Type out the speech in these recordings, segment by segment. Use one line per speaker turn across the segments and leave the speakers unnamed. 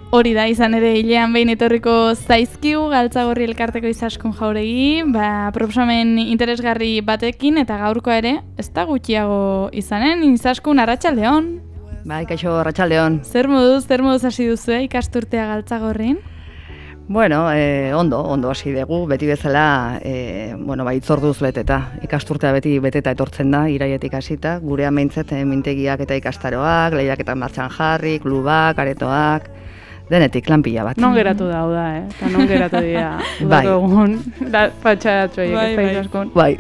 Hori da, izan ere hilean behin etorriko zaizkigu Galtzagorri elkarteko Izaskun Jauregi, proposamen interesgarri batekin eta gaurkoa ere, ez da gutxiago izanen, Izaskun arratsaldeon.
Bai, kaixo arratsaldeon.
Zer moduz hasi duzu ikasturtea Galtzagorrin?
Bueno, ondo hasi dugu, beti bezala, itzorduz beteta. Ikasturtea beti beteta etortzen da, iraietik hasita, gurean behintzet mintegiak eta ikastaroak, lehiaketan martxan jarri, klubak, aretoak, denetik, lanpila bat.
Non geratu da, eta non geratu dira, udako egun, patxadatxoiek ez da Izaskun.
Bai.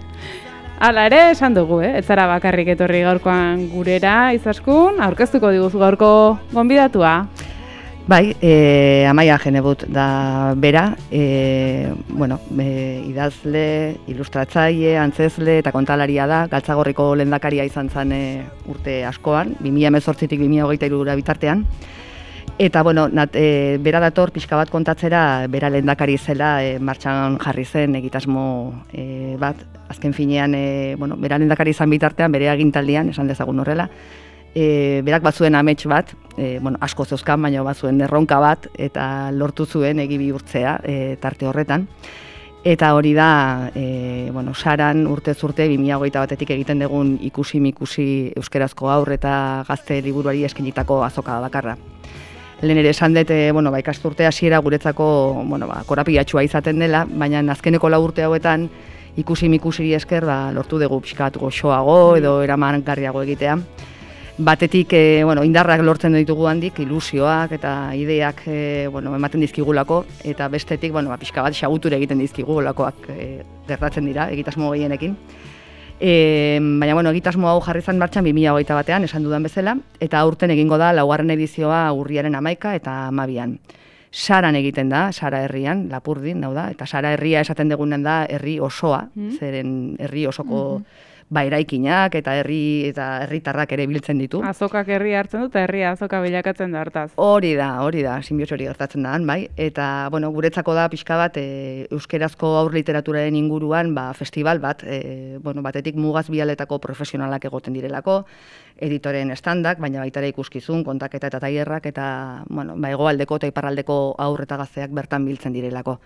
Hala ere, esan dugu, ez zara bakarrik etorri gaurkoan gurera Izaskun, aurkeztuko diguzu gaurko gonbidatua.
Bai, Amaia Genebut da bera, idazle, ilustratzaile, antzezle eta kontalaria da, Galtzagorriko lehendakaria izan zen urte askoan, 2018tik 2023 bitartean. Eta, bera dator pixka bat kontatzera, bera lehendakari zela martxan jarri zen egitasmo bat. Azken finean, bera lehendakari izan bitartean, bere agintaldian, esan dezagun horrela. Berak batzuen amets bat, asko zeuzkan, baina batzuen erronka bat, eta lortu zuen egi bihurtzea tarte horretan. Eta hori da, Saran urtez urte 2021tik egiten dugun ikusi euskerazko haur eta gazte liburuari eskenitako azoka bakarra. Lehen ere esan dut, ikasturte hasiera guretzako korapilatxua izaten dela, baina azkeneko 4 urte hauetan ikusi esker lortu dugu pixkat goxoago edo eramangarriago egitea. Batetik, indarrak lortzen ditugu handik, ilusioak eta ideak ematen dizkigulako, eta bestetik, pixka bat xaguture egiten dizkigulakoak gertatzen dira, egitasmo gehienekin. Baina, egitasmo hau jarri zen martxan 2021an, esan dudan bezala, eta aurten egingo da 4. edizioa urriaren 11 eta 12an. Saran egiten da, Sara herrian, Lapurdin, da, eta Sara herria esaten dugunen da herri osoa, zeren herri osoko eraikinak eta herritarrak ere biltzen ditu.
Azokak herri hartzen dut, herria azoka bilakatzen da hartaz.
Hori da, sinbiotxo hori gertatzen da, bai. Eta, guretzako da pixka bat, euskerazko haur literaturaren inguruan, festival bat, batetik mugaz bialetako profesionalak egoten direlako, editoren estandak, baina baita ere ikuskizun, kontaketa eta tailerrak, eta, hegoaldeko eta iparraldeko haur eta gazteak bertan biltzen direlako.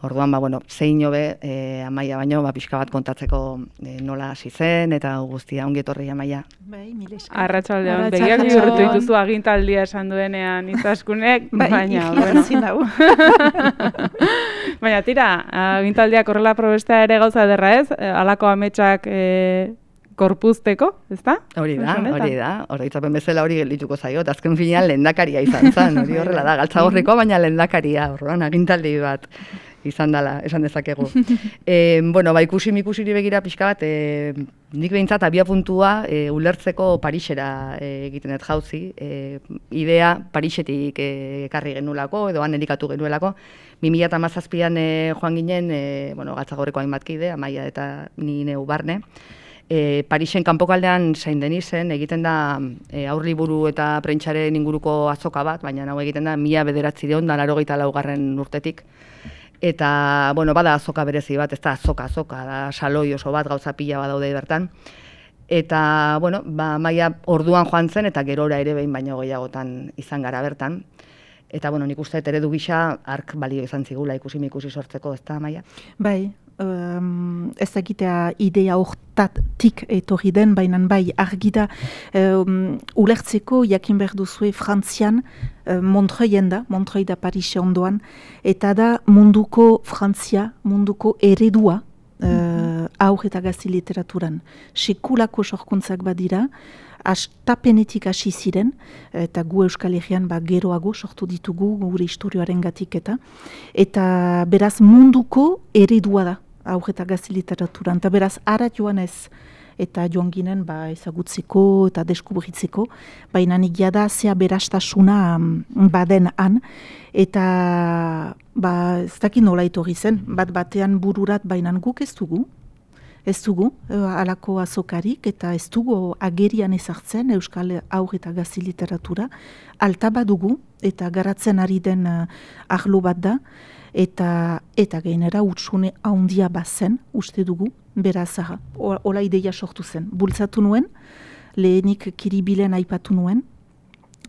Orduan, zein hobe, Amaia baino, pixka bat kontatzeko nola hasi zen, eta guztia ongi etorri Amaia.
Bai, mil esker.
Arratsaldeon, begiak bihurtu dituzu agintaldia esan duenean Izaskunek, baina, baina tira, agintaldiak horrela probestea ere gauza ederra ez, halako ametsak korpuzteko, ezta?
Hori da, oroitzapen bezala hori geldituko zaio, eta azken finean lehendakaria izan zen, hori horrela da, Galtzagorriko, baina lehendakaria, orduan agintaldi bat izan dela, esan dezakegu. Ikusi-mikusiri begira pixka bat, nik behintzat abia puntua ulertzeko Parisera egiten dut jauzi. Idea Parisetik ekarri genulako, edo han elikatu genuelako. 2017an joan ginen, Galtzagorriko hainbat kide, Amaia eta ni neu barne. Parisen kanpokaldean Saint Denisen egiten da aurliburu eta prentsaren inguruko azoka bat, baina hau egiten da 1994 urtetik. Eta, bada azoka berezi bat, ez da azoka, da saloi oso bat, gauza pila bat daude bertan. Eta, Amaia orduan joan zen, eta gerora ere behin baino gehiagotan izan gara bertan. Eta, nik uste eredu gisa ark balio izan zigula ikusi sortzeko, ez da, Amaia?
Bai, ez egitea idea hortatik etorri den, baina bai argi da ulertzeko jakin behar duzue Frantzian Montreuil da Parise ondoan, eta da munduko Frantzia, munduko eredua haur eta gazte literaturan. Sekulako sorkuntzak badira, tapenetik hasi ziren, eta gu Euskal Herrian geroago sortu ditugu gure historioaren gatik eta beraz munduko eredua da haur eta gazte literaturan, eta beraz ara joan ez, eta joan ginen ezagutzeko eta deskubritzeko, baina nigia da zea berastasuna baden han, eta ez dakit nola etorri zen, batean bururat baina guk ez dugu, halako azokarik, eta ez dugu agerian ezartzen Euskal haur eta gazte literatura, alta badugu, eta garatzen ari den arlo bat da, eta gainera hutsune handia bazen, uste dugu, beraz, hola ideia sortu zen. Bultzatu nuen, lehenik Kiribilen aipatu nuen,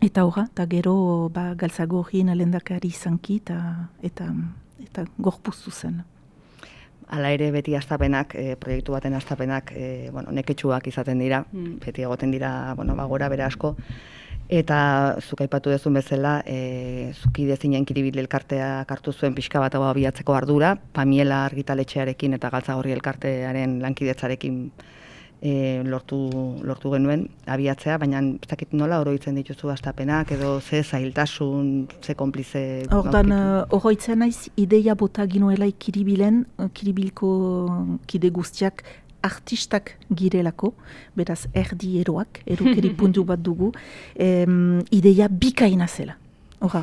Eta horra, eta gero Galtzagorrien lehendakari izanki eta gorpuztu zen.
Hala ere beti hastapenak, proiektu baten hastapenak, neketsuak izaten dira, beti egoten dira, gora bera asko. Eta zuk aipatu duzun bezala, zukide zinen Kiribil elkarteak hartu zuen pixka bat abiatzeko ardura, Pamiela argitaletxearekin eta Galtzagorri elkartearen lankidetzarekin lortu genuen abiatzea, baina ez dakit nola oroitzen dituzu hastapenak edo ze zailtasun, ze konplize...
Hortan, oroitzen naiz, ideia bota ginoelai Kiribilen, Kiribilko kide guztiak artistak girelako, beraz erdi eroak, erukeri puntu bat dugu, ideia bikaina zela.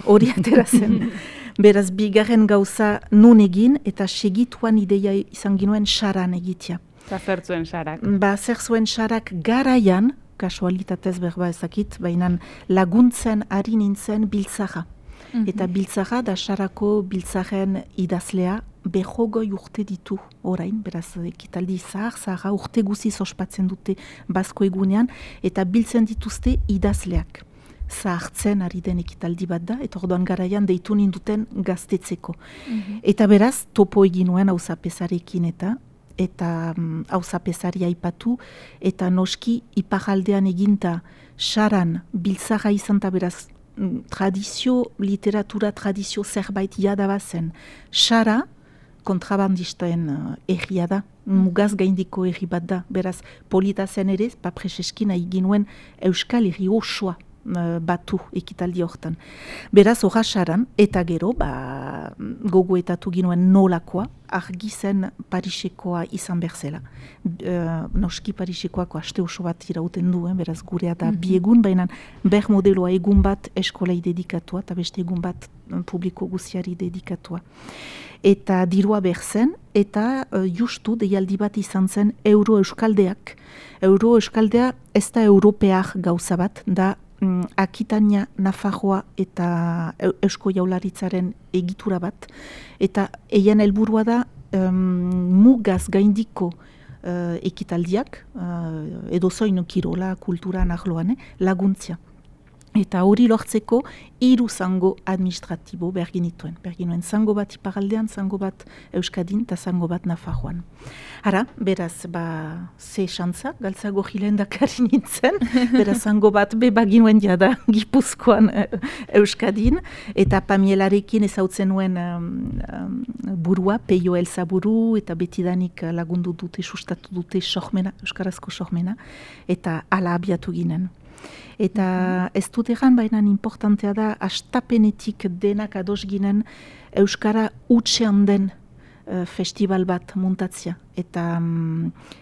Hori atera zen. Beraz, bigarren gauza nun egin eta segituan ideia izan ginoen saran egitea.
Zer zuen sarak?
Zer zuen sarak garaian, kasualitatez berba ezakit, baina laguntzen ari nintzen biltzaja. Eta biltzaja da sarako biltzaren idazlea behogoi urte ditu orain, beraz ekitaldi zahar urte guziz ospatzen dute Basko egunean, eta biltzen dituzte idazleak. Zahartzen ari den ekitaldi bat da, eta orduan garaian deitu ninduten gaztetzeko. Eta beraz, topo egin nuen auzapezarekin eta auzapezari aipatu, eta noski iparaldean eginta saran biltzaga izan eta beraz literatura tradizio zerbait jadabazen. Sara kontrabandistoen erria da, mugaz gaindiko erri bat da, beraz polita zen ere, preseskin egin nuen euskal erri osoa batu ekitaldi hortan. Beraz, horra saran, eta gero, gogoetatu ginuen nolakoa, argi zen Parisekoa izan berzela. Noski Parisekoako aste oso bat irauten du, beraz gurea da biegun, baina ber modeloa egun bat eskolei dedikatua, eta beste egun bat publiko guziari dedikatua. Eta dirua berzen, eta justu deialdi bat izan zen Euro-Euskaldeak. Euro-Euskaldea ez da europear gauza bat, da Akitania, Nafarroa eta Eusko Jaurlaritzaren egitura bat, eta eien helburua da mugaz gaindiko ekitaldiak, edozoin kirola, kultura, arloan, laguntzia. Eta hori lortzeko 3 zango administratibo berginituen. Berginuen zango bat iparaldean, zango bat Euskadin eta zango bat Nafarroan. Hara, beraz, ze xantza, Galtzagorri lehendakari nintzen, beraz zango bat baginuen jada Gipuzkoan Euskadin, eta Pamielarekin ezautzen nuen burua, Peio Elsa buru, eta betidanik lagundu dute, sustatu dute sormena, euskarazko sormena, eta ala abiatu ginen. Eta ez dut egan, baina importantea da, astapenetik denak ados ginen Euskara utxean den festival bat muntatzia. Eta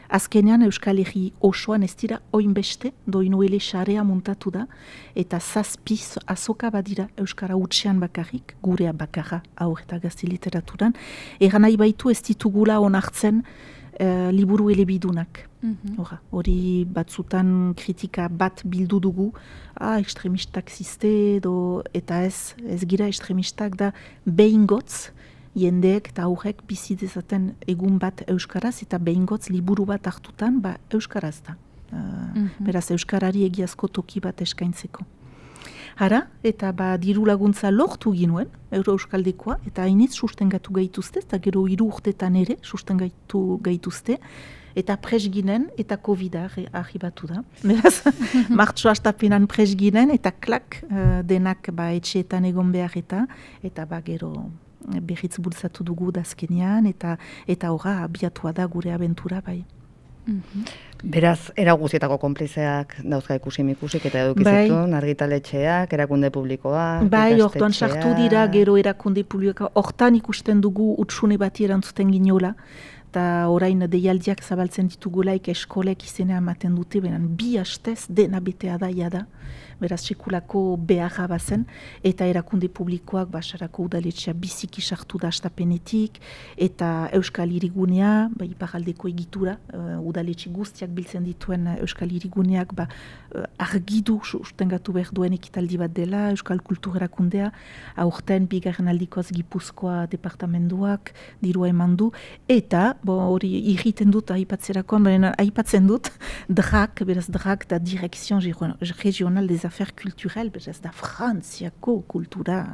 azkenean Euskal Herri osoan ez dira oinbeste, doinuele xarea muntatu da, eta 7 azoka badira Euskara utxean bakarrik, gurea bakarra aur eta gazte literaturan. Egan nahi baitu ez ditugula onartzen liburu elebidunak. Hori batzutan kritika bat bildu dugu, ekstremistak ziste edo, eta ez gira ekstremistak da behingotz, jendeek eta aurrek bizi dezaten egun bat euskaraz, eta behingotz liburu bat hartutan euskaraz da. Beraz euskarari egiazko toki bat eskaintzeko. Hara, eta diru laguntza lortu ginuen, Euro-Euskaldekoa, eta hainitz sustengatu gaituzte, eta gero 3 urtetan ere sustengatu gaituzte, eta pres ginen, eta COVID-a arribatu da. Beraz, martxo hastapenan pres ginen, eta klak denak etxeetan egon behar eta gero berriz bultzatu dugu dazkenean, eta horra abiatua da gure abentura bai.
Beraz, era guzietako konplizeak dauzka ikusik eta edukizitun, argitaletxeak, erakunde publikoa,
ikastetxeak. Hortan sartu dira gero erakunde publikoa, hortan ikusten dugu utsune bati erantzuten ginola, eta orain deialdiak zabaltzen ditugulaik eskolek izena ematen dute, benen 2 hastez dena betea da jada, beraz sekulako beharra bazen, eta erakunde publikoak basarako udaletxea biziki sartu da astapenetik, eta Euskal Hirigunea, iparaldeko egitura, udaletxe guztiak biltzen dituen Euskal Hiriguneak argidu sustengatu behar duen ekitaldi bat dela, Euskal Kultur erakundea, aurten 2. aldikoz Gipuzkoa departamenduak dirua eman du, eta hori irriten dut aipatzerakoan, baina aipatzen dut DRAC, beraz DRAC da Direction Regional des affaires culturelles, ez da Frantziako kultura,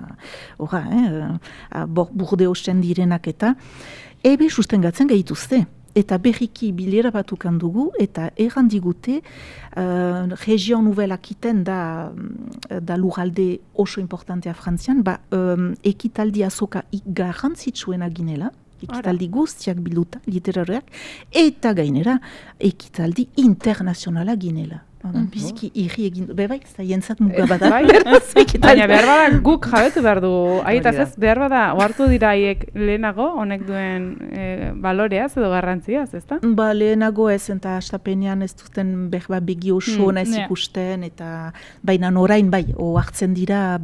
Burdeosten direnak eta, ebe sustengatzen gehituzte. Eta berriki bilera batukan dugu, eta errandigute, Region Nouvelle Aquitaine da lurralde oso importantea Frantzian, ekitaldi azoka garrantzitsuena ginela, ekitaldi guztiak bilduta, literarioak, eta gainera, ekitaldi internazionala ginela. Biziki irri egin, bai, ez da jentzat mugabada.
Baina behar bada guk jabetu behar du, aitaz ez, behar bada, ohartu dira haiek lehenago, honek duen baloreaz edo garrantziaz, ez da?
Lehenago ez, eta astapenean ez duten begi oso naiz ikusten, eta baina orain bai, ohartzen dira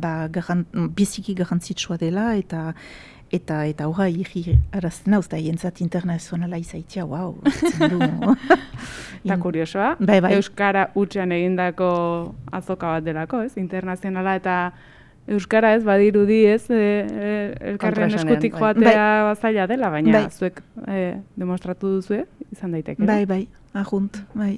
biziki garrantzitsua dela, eta horra irri arazten hau, eta jentzat internazionala izaitia, wow, hartzen du.
Eta kuriosoa, Euskara hutsean egindako azoka bat delako, ez? Internazionala eta Euskara ez badirudi ez, elkarren eskutik joatea zaila dela, baina zuek demostratu duzue, izan daiteke.
Bai, ajunt, bai.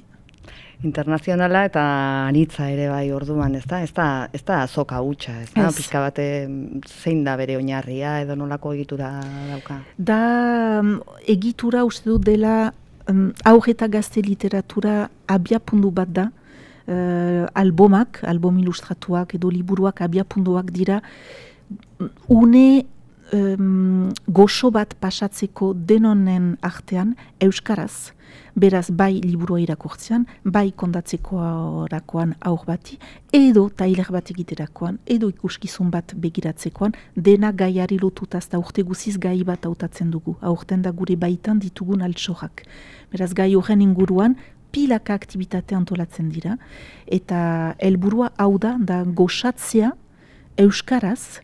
Internazionala eta anitza ere bai orduan, ez da azoka hutsa, ez da, pixka bate zein da bere oinarria edo nolako egitura dauka?
Da egitura uste dut dela haur eta gazte literatura abiapundu bat da, album ilustratuak edo liburuak abiapunduak dira, une goxo bat pasatzeko denonen artean euskaraz, beraz bai liburua irakurtzean, bai kondatzeko orakoan aur bati, edo tailer bat egiterakoan, edo ikuskizun bat begiratzekoan, dena gaiari lotutaz da urte guziz gai bat hautatzen dugu. Aurten da gure baitan ditugun altsorak. Beraz gai horren inguruan, pilaka aktibitate antolatzen dira, eta helburua hau da goxatzea euskaraz,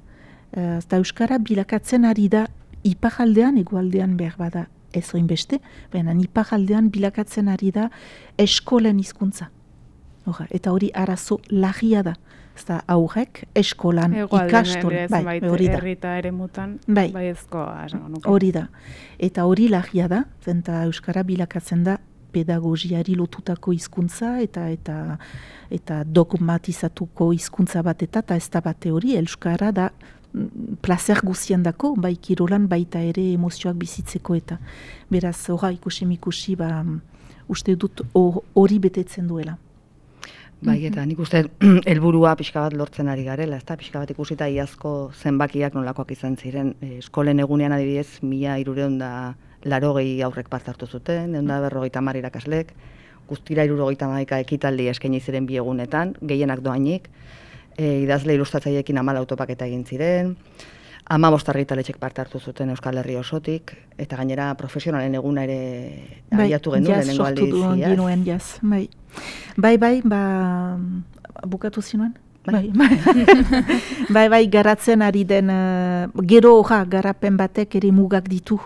eta euskara bilakatzen ari da iparaldean, egoaldean behar bada ez oinbeste, baina iparaldean bilakatzen ari da eskolen hizkuntza. Eta hori arazo larria da. Ezta aurrek eskolan ikastolen, hori da.
Herrita ere mutan,
hori da. Eta hori larria da, zenta euskara bilakatzen da pedagogiari lotutako hizkuntza eta dogmatizatuko hizkuntza bat eta ez da bate hori, euskara da placer guzien dako, bai kirolan baita ere emozioak bizitzeko eta beraz ikusi uste dut hori betetzen duela.
Bai, eta nik uste helburua pixka bat lortzen ari garela, ez da, pixka bat ikusita iazko zenbakiak nolakoak izan ziren, eskolen egunean adibidez 1380 aurrek parte hartu zuten, 150 irakaslek, guztira 70 ekitaldi eskaini ziren bi egunetan, gehienak doainik, idazle ilustratzaiekin 14 autopaketa egin ziren, 15 argitaletxek parte hartu zuten Euskal Herri osotik, eta gainera profesionalen eguna ere abiatu genuen lehenengo aldiz.
Sortu duen genuen, jaz. Bai, bukatu zinuen? Bai, garatzen ari den, gero garapen batek ere mugak ditu,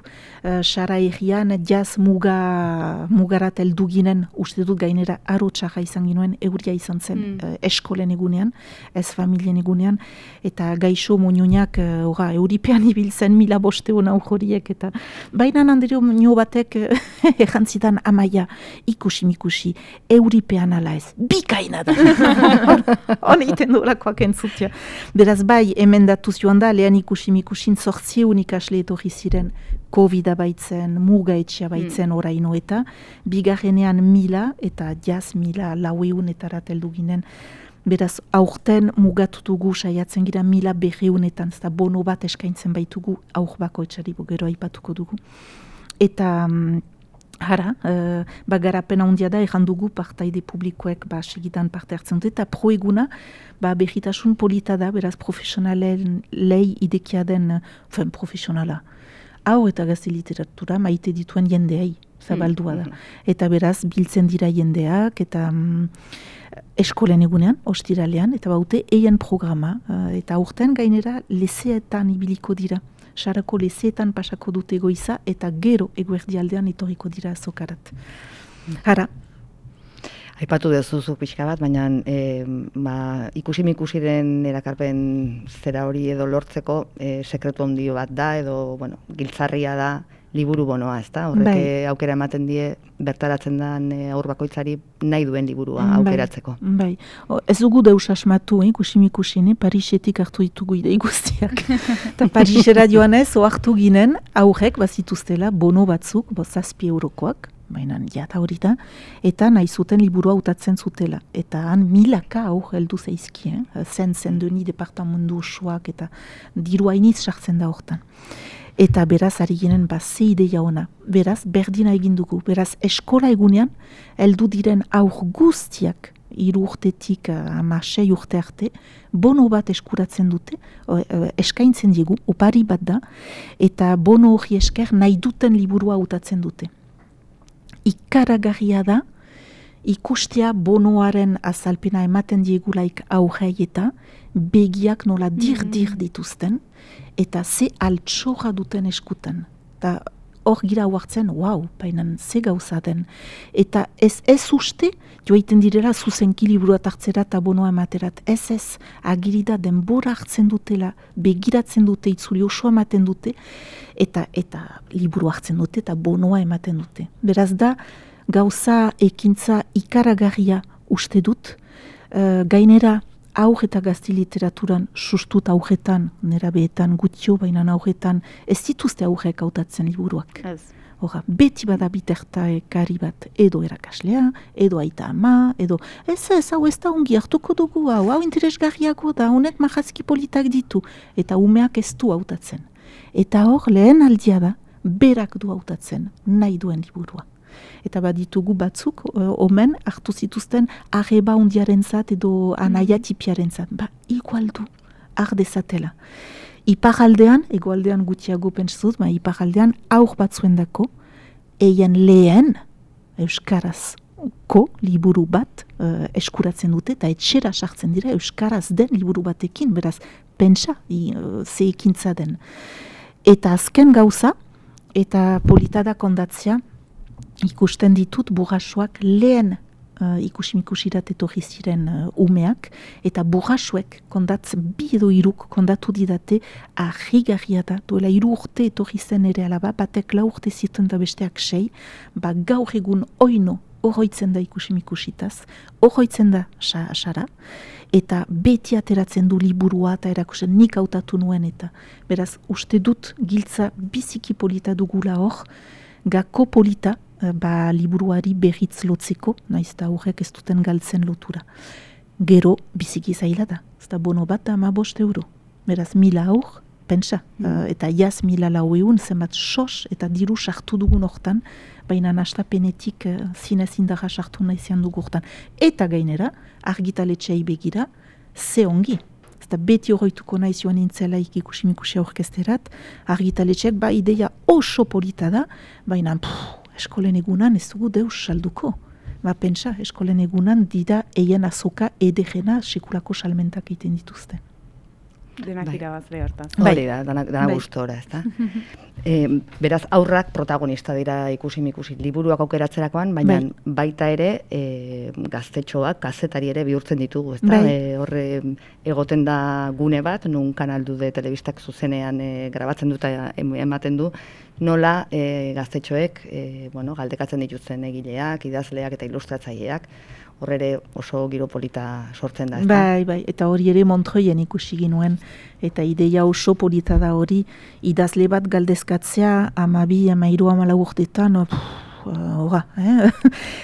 sara egian, jaz mugarat heldu ginen, uste dut gainera arotxarra izan ginoen, euria izan zen eskolen egunean, ez familien egunean, eta gaixo moñoñak euripean ibiltzen 1500 aurhoriek, eta baina handerio nio batek errantzitan amaia, ikusi, euripean ala ez, bikaina da. Hone iten dolakoak entzutia. Beraz bai, emendatu joan da, lehen ikusin 800 ikasle etorri ziren COVID-a baitzen, muga etxea baitzen oraino eta, bigarrenean 1000 eta jaz 1400 heldu ginen. Beraz, aurten mugatu dugu saiatzen gira 1200 eta bono bat eskaintzen baitugu aur bako etxari gero aipatuko dugu. Eta garapen handia da, erran dugu partaide publikoek segitan parte hartzen dute, eta proeguna berritasun polita da, beraz profesionalen lei idekia den, profesionala. Hau eta gazte literatura maite dituen jendeai, zabaldua da. Eta beraz, biltzen dira jendeak, eta eskolen egunean, ostiralean, eta baute eien programa, eta aurten gainera leseetan ibiliko dira. Sarako leseetan pasako dute goiza eta gero eguerdialdean etorriko dira azokarat.
Aipatu dezuzu pixka bat, baina ikusiren erakarpen zera hori edo lortzeko sekretu handio bat da, edo giltzarria da liburu bonoa, ezta? Horrek aukera ematen die bertaratzen den aur bakoitzari nahi duen liburua aukeratzeko.
Bai. Ez dugu deus asmatu, ikusi-mikusi, Parisetik hartu ditugu idei guztiak. Eta Parisera joanez, hartu ginen, aurrek bazituztela bono batzuk, 7 eurokoak, baina jata hori da, eta nahi zuten liburua hautatzen zutela. Eta han milaka aur heldu zaizki, Saint-Denis departamendu osoak, eta diru hainiz sartzen da hortan. Eta beraz, ari ginen, ze ideia ona. Beraz, berdina egin dugu. Beraz, eskola egunean, heldu diren aur guztiak, 3 urtetik 6 urte arte, bono bat eskuratzen dute, eskaintzen diegu, opari bat da, eta bono hori esker nahi duten liburua hautatzen dute. Ikaragarria da, ikustea bonoaren azalpena ematen diegulaik aurrei eta begiak nola dir dituzten, eta ze altxorra duten eskutan. Eta hor gira huartzen, bainan ze gauza den. Eta ez uste, joaiten direla zuzenki liburua hartzera eta bonoa ematerat. Ez, agirida denbora hartzen dutela, begiratzen dute, itzuli osoa ematen dute, eta liburua hartzen dute eta bonoa ematen dute. Beraz da, gauza ekintza ikaragarria uste dut, gainera aur eta gazti literaturan sustut aurretan, nerabeetan gutio, baina aurretan ez dituzte aurrek hautatzen liburuak. Hora, beti bada bitartekari bat, edo erakaslea, edo aita ama, edo hau ez da ongi hartuko dugu, hau interesgarriago da, honek mahazki politak ditu, eta umeak ez du hautatzen. Eta hor, lehen aldia da, berak du hautatzen, nahi duen liburua. Eta baditugu batzuk, omen, hartu zituzten arreba ondiaren zat edo anaia tipiaren zat. Igual du, ardezatela. Iparaldean, egoaldean gutiago pentsatuz, iparaldean aur batzuen dako, eien lehen euskarazko liburu bat eskuratzen dute, eta etxera sartzen dira euskaraz den liburu batekin, beraz, pentsa, ze ekintza den. Eta azken gauza, eta politada kondatzea, ikusten ditut burrasoak lehen ikusimikusirat etorri ziren umeak, eta burrasoek bi edo 3 kondatu didate ahigarria da, duela 3 urte etorri zen ere alaba, batek 4 urte zituen da besteak 6, gaur egun oino horroitzen da ikusimikusitas, horroitzen da sara, eta beti ateratzen du liburua eta erakusten nik hautatu nuen eta. Beraz, uste dut giltza biziki polita dugula hor, gako polita, liburuari berritz lotzeko, naiz da horrek ez duten galtzen lotura. Gero, biziki zaila da. Ez da bono bat 15 euro. Beraz, 1000 aur, pentsa. Eta jaz 1004, zenbat sos eta diru sartu dugun hortan, baina nastapenetik zinez indarra sartu nahizian dugu hortan. Eta gainera, argitaletxeai begira, ze ongi. Ez da beti horreituko nahizioan nintzelaik ikusimikusia orkesterat, argitaletxeak ideia oso polita da, baina eskolen egunan ez dugu deus salduko. Pentsa, eskolen egunan dida eien azoka edegena sekulako salmentak egiten dituzte.
Denak irabazle hortan.
Hori da, dana gustora, ez da? Beraz, aurrak protagonista dira ikusi-mikusi liburuak aukeratzerakoan, baina baita ere gaztetxoak, kazetari ere bihurtzen ditugu, ez da? Horre egoten da gune bat, nun Kanal de telebistak zuzenean grabatzen dut ematen du, nola gaztetxoek galdekatzen dituzten egileak, idazleak eta ilustratzaileak, horre ere oso giro polita sortzen da, ez da?
Bai, eta hori ere Montreuilen ikusi ginuen, eta ideia oso polita da hori, idazle bat galdezkatzea 12, 13, 14 urtetan,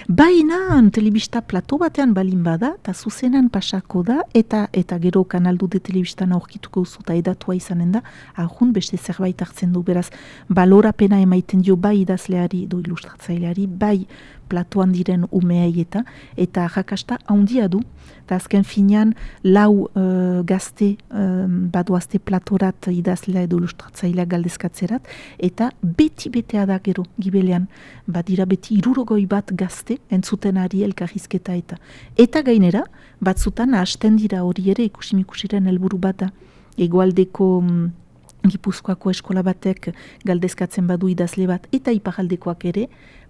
baina telebista plato batean balin bada, eta zuzenan pasako da, eta gero Kanal de telebistan aurkituko zuta edatua izanen da, ahun beste zerbait hartzen du, beraz, balorapena emaiten dio bai idazleari, do ilustratzaileari, bai platoan diren umeei eta jakasta handia du, eta azken finean 4 gazte badoazte platorat idazlea edo ilustratzailea galdezkatzerat, eta beti-betea da gero gibelean, badira beti 61 gazte entzuten ari elkarrizketa eta gainera, batzutan hasten dira hori ere ikusimikusiren helburu bat da, egoaldeko Gipuzkoako eskola batek galdezkatzen badu idazle bat eta iparaldekoak ere,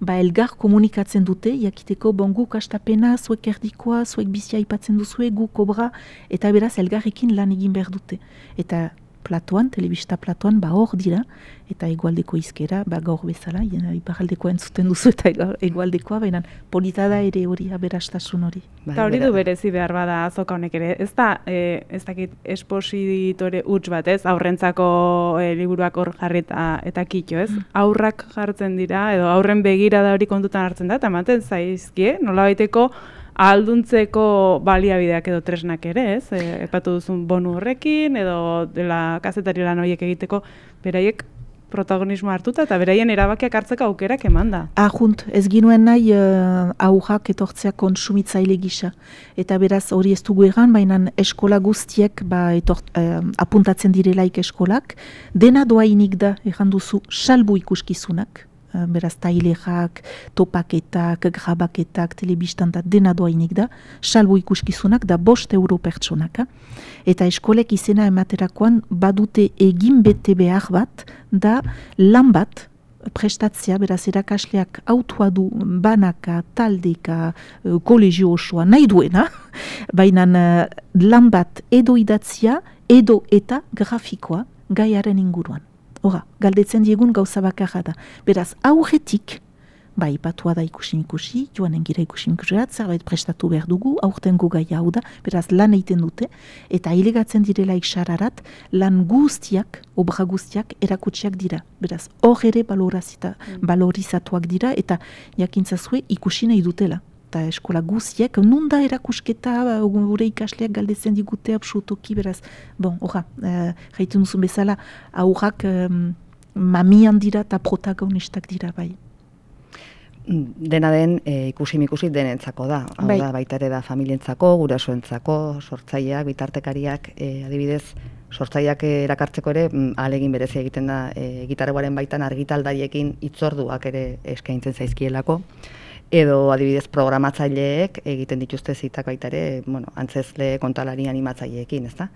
elgar komunikatzen dute, jakiteko guk astapena, zuek erdikoa, zuek bizia aipatzen duzue, guk obra, eta beraz elgarrekin lan egin behar dute. Eta platoan, telebista platoan, hor dira, eta egualdeko izkera, gaur bezala, iparaldekoa entzuten duzu eta egualdekoa, baina polita da ere hori, aberastasun hori.
Eta hori du berezi behar bada azoka honek ere, ez dakit espositore huts bat, ez? Aurrentzako liburuak hor jarri eta kitxo, ez? Aurrak jartzen dira, edo aurren begira da hori kontutan hartzen da, eta ematen zaizkie, nolabaiteko ahalduntzeko baliabideak edo tresnak ere, ez? Epatu duzun bonu horrekin, edo dela kazetari lan horiek egiteko, beraiek protagonismo hartuta eta beraien erabakiak hartzeko aukerak eman da.
Ahunt, ez ginuen nahi aurrak etortzea kontsumitzaile gisa. Eta beraz hori ez dugu egan, baina eskola guztiek apuntatzen direlaik eskolak, dena doainik da, egan duzu, salbu ikuskizunak. Beraz, tailerak, topaketak, grabaketak, telebistan da dena doainik da, salbu ikuskizunak da 5 euro pertsonaka. Eta eskolek izena ematerakoan badute egin bete behar bat, da lan bat prestatzea, beraz, erakasleak autua du banaka, taldeka, kolegio osoa, nahi duena, baina lan bat edo idatzia, edo eta grafikoa gaiaren inguruan. Hora, galdetzen diegun gauza bakarra da. Beraz, aurretik, patua da ikusi, joanen gira ikusi, zerbait prestatu behar dugu, aurtengo gai hau da, beraz, lan egiten dute, eta ilegatzen direlaik sararat, lan guztiak, obra guztiak, erakutsiak dira. Beraz, hor ere balorizatuak dira, eta jakintzazue ikusi nahi dutela. Eta eskola guztiek, nun da erakusketa, gure ikasleak galdetzen digute absolutoki, beraz, jaitun duzun bezala, aurrak mamian dira eta protagonistak dira, bai.
Dena den, ikusi denentzako da. Hau da, baita ere da familientzako, gurasoentzako, sortzaileak, bitartekariak, adibidez, sortzaileak erakartzeko ere, ahalegin berezia egiten da, gitarreguaren baitan argitaldariekin hitzorduak ere eskaintzen zaizkielako. Edo adibidez programatzaileek egiten dituzte zitak baita ere, antzezle kontalari animatzaileekin, ezta?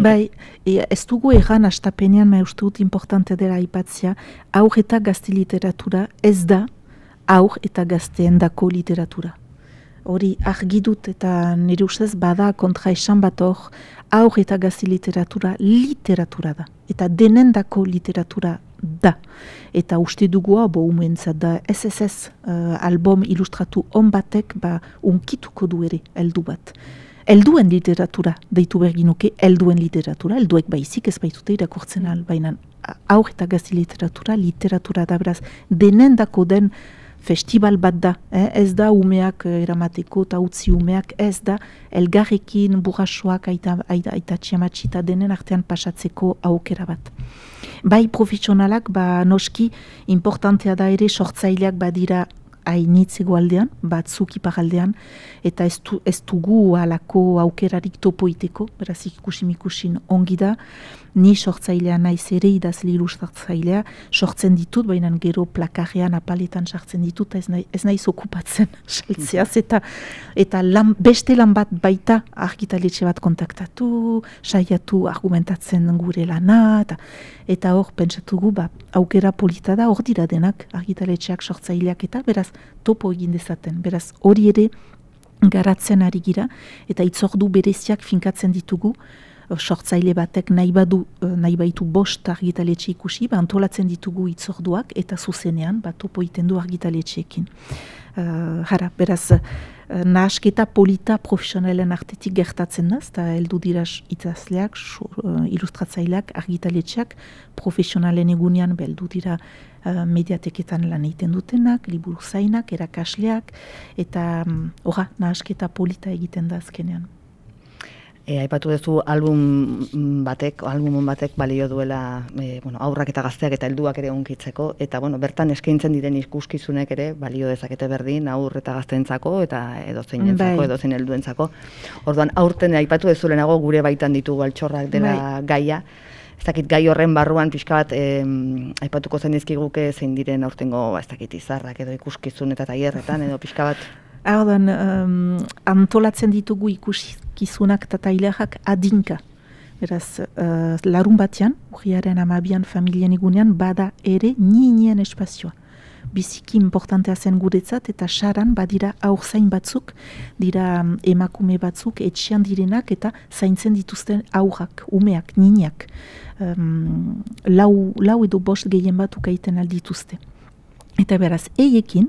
Bai, ez dugu egan astapenean, uste dut importante dela aipatzea, aur eta gazte literatura ez da aur eta gazteendako literatura. Hori argi dut eta nire ustez bada kontra esan bat hor, aur eta gazte literatura da. Eta denendako literatura da. Eta uste dugu hau umentzat da SSS album ilustratu on batek unkituko du ere heldu bat. Helduen literatura, deitu berginuke, helduen literatura, helduek baizik ez baitute irakurtzen baina aur eta gazte literatura da, beraz, denendako den festival bat da, ez da umeak eramateko eta utzi umeak, ez da elgarrekin burrasoak aita txiamatxita denen artean pasatzeko aukera bat. Bai profesionalak, noski, importantea da ere sortzaileak badira hainitz egoaldean, batzuk iparaldean, eta ez dugu alako aukerarik topoiteko, beraz ikusin ongi da, ni sortzailea naiz ere idazle ilustratzailea, sortzen ditut, baina gero plakarrean apaletan sartzen ditut, ez naiz okupatzen saltzeaz, eta beste lan bat baita argitaletxe bat kontaktatu, saiatu argumentatzen gure lana, eta hor pentsatugu aukera polita da, hor dira denak argitaletxeak sortzaileak eta beraz topo egin dezaten, beraz hori ere garatzen ari gira, eta itzordu bereziak finkatzen ditugu, sortzaile batek nahi baitu 5 argitaletxe ikusi, antolatzen ditugu itzorduak eta zuzenean, topo egiten du argitaletxeekin. Beraz, nahasketa polita profesionalen artetik gertatzen da, eta heldu dira idazleak, ilustratzaileak, argitaletxeak, profesionalen egunean heldu dira mediateketan lan egiten dutenak, liburu zainak, erakasleak, eta nahasketa polita egiten da azkenean.
Aipatu duzu album batek balio duela aurrak eta gazteak eta helduak ere onkitzeko, eta bertan eskaintzen diren ikuskizunek ere balio dezakete berdin aur eta gazteentzako eta edozeinentzako, edozein helduentzako. Orduan aurten aipatu duzu lehenago gure baitan ditugu altxorrak dela gaia. Ez dakit gai horren barruan pixka bat aipatuko zenizkiguke zein diren aurtengo izarrak edo ikuskizun eta tailerretan edo pixka bat.
Antolatzen ditugu ikuskizunak eta tailerrak adinka. Beraz, larun batean, urriaren 12 familien egunean, bada ere ninien espazioa. biziki importantea zen guretzat, eta saran badira aurzain batzuk, dira emakume batzuk, etxean direnak eta zaintzen dituzten aurrak, umeak, niniak. Lau edo bost gehien bat ukaiten aldituzte. Eta beraz, eiekin,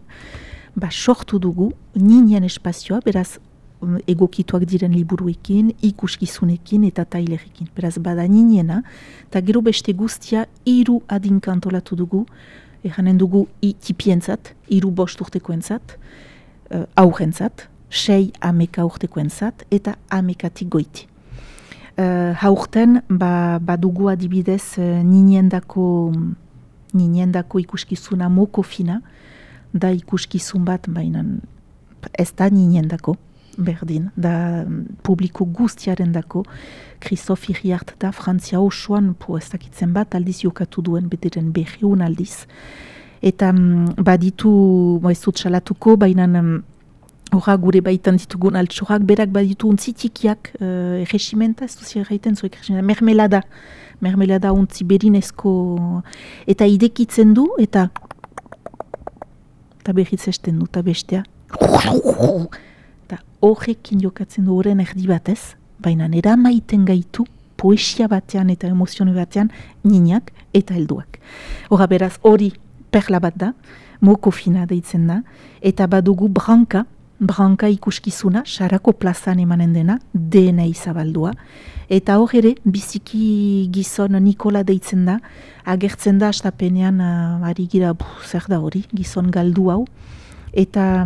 sortu dugu ninien espazioa, beraz, egokituak diren liburuekin, ikuskizunekin eta tailerekin. Beraz, bada niniena, eta gero beste guztia 3 adinka antolatu dugu, eranen dugu tipientzat, 3-5 urtekoentzat, aurrentzat, 6 ameka urtekoentzat, eta amekatik goiti. Haurten, badugu adibidez niniendako ikuskizuna mokofina, da ikuskizun bat, baina ez da niniendako, berdin, da publiko guztiaren dako, Christophe Iriart da Frantzia osoan, ez dakitzen bat, aldiz jokatu duen, bederen 200 aldiz. Eta baditu, ez dut salatuko, baina horra gure baitan ditugun altxorrak, berak baditu untzi tikiak, regimenta, ez duzia erraiten zuek, mermelada untzi berinezko, eta idekitzen du, eta berriz esten du, eta bestea, eta horrekin jokatzen du horren erdi batez, baina nera maiten gaitu poesia batean eta emozione batean niniak eta helduak. Horra beraz hori perla bat da, mokofina deitzen da, eta badugu branka ikuskizuna, sarako plazan emanen dena, DNA izabaldua, eta hor ere biziki gizon Nikola deitzen da, agertzen da astapenean ari gira, zer da hori, gizon galdu hau, eta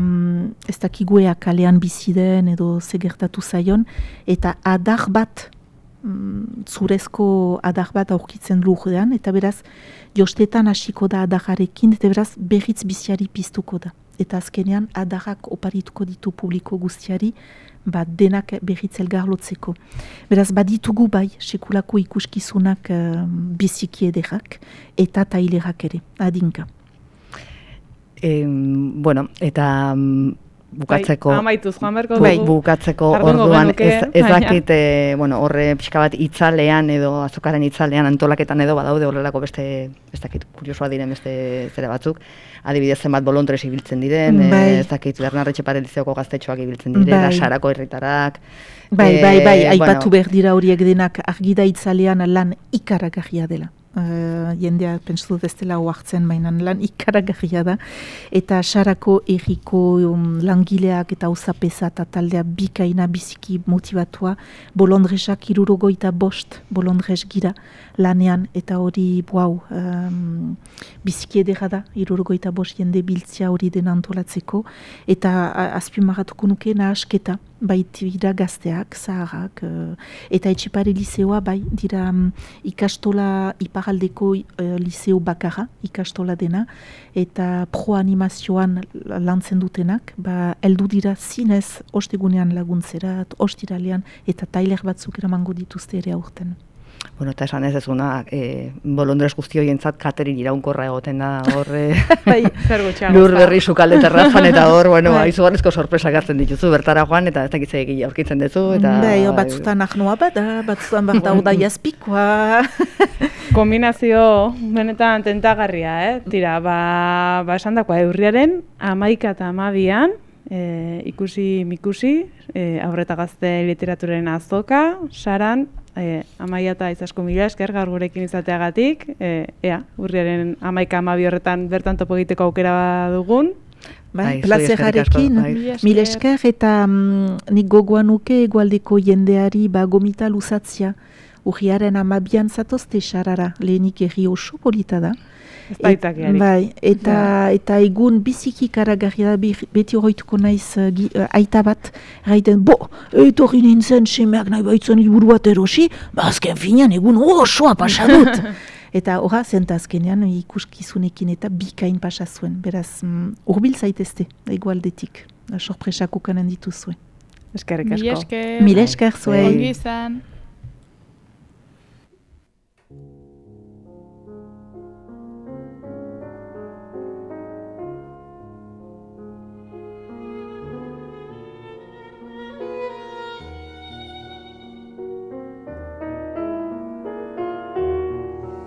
ez dakiguea kalean bizi den edo zegertatu zaion, eta adar bat, zurezko adar bat aurkitzen lurrean, eta beraz jostetan hasiko da adarrarekin, eta beraz berriz biziari piztuko da. Eta azkenean adarrak oparituko ditu publiko guztiari, denak berriz elgarlotzeko. Beraz baditugu bai, sekulako ikuskizunak biziki ederrak, eta tailerak ere, adinka.
Eta bukatzeko...
Amaituz, Juan Berko dugu.
Bukatzeko orduan, ez dakit, horre pixka bat itzalean edo azokaren itzalean antolaketan edo badaude horrelako beste, ez dakit, kuriosoa diren beste zera batzuk. Adibidez zenbat bolondres ibiltzen diren, ez dakit, Bernardo Etxepare Lizeoko gaztetxoak ibiltzen direla, Sarako herritarak.
Aipatu behar dira horiek denak argida itzalean lan ikaragarria dela. Jendea pentsu dut ez dela oartzen, baina lan ikaragarria da, eta Sarako erriko langileak eta auzapeza eta taldea bikaina biziki motivatua, bolondresak 65 bolondres gira lanean, eta hori biziki edera da, 65 jende biltzia hori den antolatzeko, eta azpimarratuko nuke nahasketa, baitira gazteak, zaharrak, eta Etxepare Lizeoa dira ikastola iparaldeko liceo bakarra, ikastola dena, eta pro-animazioan lantzen dutenak, heldu dira zinez ostegunean laguntzerat, ostiralean, eta tailer batzuk eramango dituzte ere aurten.
Eta esan ez ezuna, bolondres guzti horientzat katerin iraunkorra egoten da horre lur berri sukalde terrazan, eta hor, izugarrizko sorpresak hartzen dituzu, bertara joan, eta ez dakitzea egia aurkitzen duzu.
Batzutan ahnoa bada, batzutan bat da jazpikoa.
Kombinazio benetan tentagarria, Tira, esan dakoa, urriaren 11 eta 12an, ikusi-mikusi, aurreta gazte literaturen azoka, Saran, Amaia eta Izaskun mila esker gaur gurekin izateagatik, urriaren 11-12 horretan bertan topo egiteko aukera dugun.
Plazerarekin, mila esker, eta nik gogoan nuke egualdeko jendeari gomita luzatzia. Urriaren 12an zatozte Sarara, lehenik erri oso polita da. Eta egun biziki karagarria da, beti horreituko naiz aita bat, gaiten, etorri nintzen semeak nahi baitzen liburu bat erosi, azken finean egun osoa pasadut. Eta horra zenta azkenean ikuskizunekin eta bikain pasazuen, beraz urbil zaitezte, egualdetik, sorpresak ukanen dituzuen.
Eskerrik asko.
Mila esker zuei.
Ongi izan.